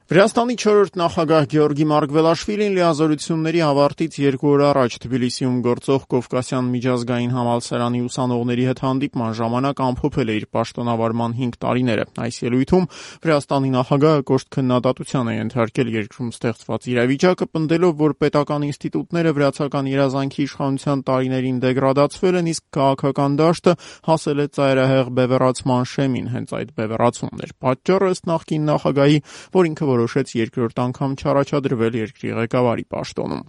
Վրաստանի 4-րդ նախագահ Գեորգի Մարգվելաշվիլին լիազորությունների ավարտից 2 օր առաջ Թբիլիսիում գործող Կովկասյան միջազգային համալսարանի ուսանողների հետ հանդիպման ժամանակ ամփոփել է իր պաշտոնավարման 5 տարիները։ Այս ելույթում Վրաստանի նախագահը կոշտ քննադատության է ենթարկել երկրում ստեղծված իրավիճակը, պնդելով, որ պետական ինստիտուտները վրացական երազանքի իշխանության տարիներին դեգրադացվել են, իսկ քաղաքական դաշտը հասել է ծայրահեղ բևեռացման շեմին։ Հենց այդ բևեռացումն էր պատճառը, ըստ նախկին նախագահի, որ ինքը որոշեց երկրորդ անգամ չառաջադրվել երկրի ղեկավարի պաշտոնում։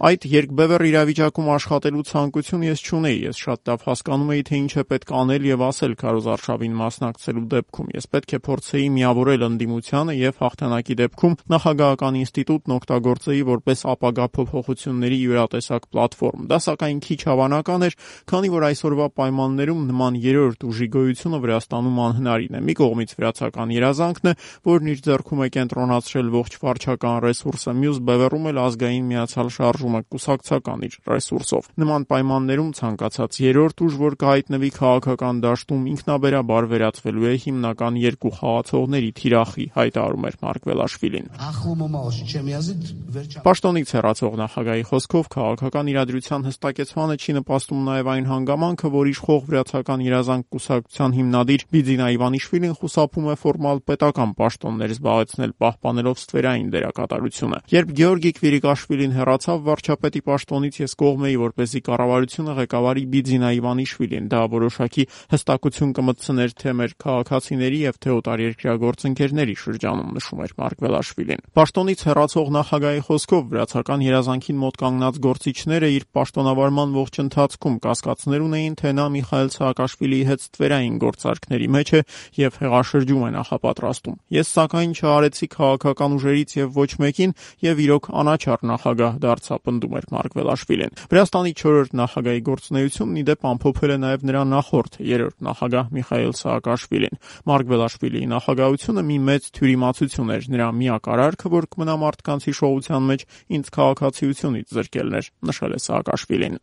Այդ երկբևեռ իրավիճակում աշխատելու ցանկություն ես չունեի, ես շատ լավ հասկանում էի, թե ինչ է պետք անել եւ ասել քարոզարշավին մասնակցելու դեպքում։ Ես պետք է փորձեի միավորել ընդդիմությանը եւ հաղթանակի դեպքում նախագահական ինստիտուտն օգտագործեի որպես ապագա փոփոխությունների յուրատեսակ պլատֆորմ։ Դա սակայն քիչ հավանական էր, քանի որ այսօրվա պայմաններում նման երրորդ ուժի գոյությունը Վրաստանում անհնարին է։ Մի կողմից վրացական երազանքն է, որն իր ձեռքում է կենտրոնացրել ողջ վարչական ռեսուրսը, մյուս բևեռում էլ ազգային միացյալ շարժումը կուսակցական իր ռեսուրսով։ Նման պայմաններում ցանկացած երրորդ ուժ, որ կհայտնվի քաղաքական դաշտում, ինքնաբերաբար վերածվելու է հիմնական երկու խաղացողների թիրախի, հայտարարում էր Մարգվելաշվիլին։ Պաշտոնից հեռացող նախագահի խոսքով քաղաքական իրադրության հստակեցմանը չի նպաստում նաև այն հանգամանքը, որ իշխող վրացական երազանք կուսակցության հիմնադիր Բիձինա Իվանիշվիլին խուսափում է ֆորմալ պետական պաշտոններ զբաղեցնել, պահպանելով ստվերային դերակատարությունը։ Երբ Գեորգի Քվիրիկաշվիլին հեռացավ վարչապետի պաշտոնից, ես կողմ էի, որպեսզի կառավարությունը ղեկավարի Բիձինա Իվանիշվիլին։ Դա որոշակի հստակություն կմտցներ թե մեր քաղաքացիների եւ թե օտարերկրյա գործընկերների շրջանում, նշում էր Մարգվելաշվիլին։ Պաշտոնից հեռացող նախագահի խոսքով վրացական երազանքին մոտ կանգնած գործիչները իր պաշտոնավարման ողջ ընթացքում կասկածներ ունեին, թե նա Միխայիլ Սաակաշվիլիի հետ ստվերային գործարքների մեջ է եւ հեղաշրջում է նախապատրաստում։ Ես սակայն չարեցի քաղաքական ուժերից եւ ոչ մեկին եւ իրոք անաչառ նախագահ դարձա, պնդում էր Մարգվելաշվիլին։ Վրաստանի 4-րդ նախագահի գործունեությունն ի դեպ ամփոփել է նաեւ նրա նախորդ 3-րդ նախագահ Միխայիլ Սաակաշվիլին։ Մարգվելաշվիլիի նախագահությունը մի մեծ թյուրիմացություն էր, նրա միակ արարքը, որ կմնա մարդկանց հիշողության մեջ, ինձ քաղաքացիությունից զրկելն էր, նշել է Սաակաշվիլին։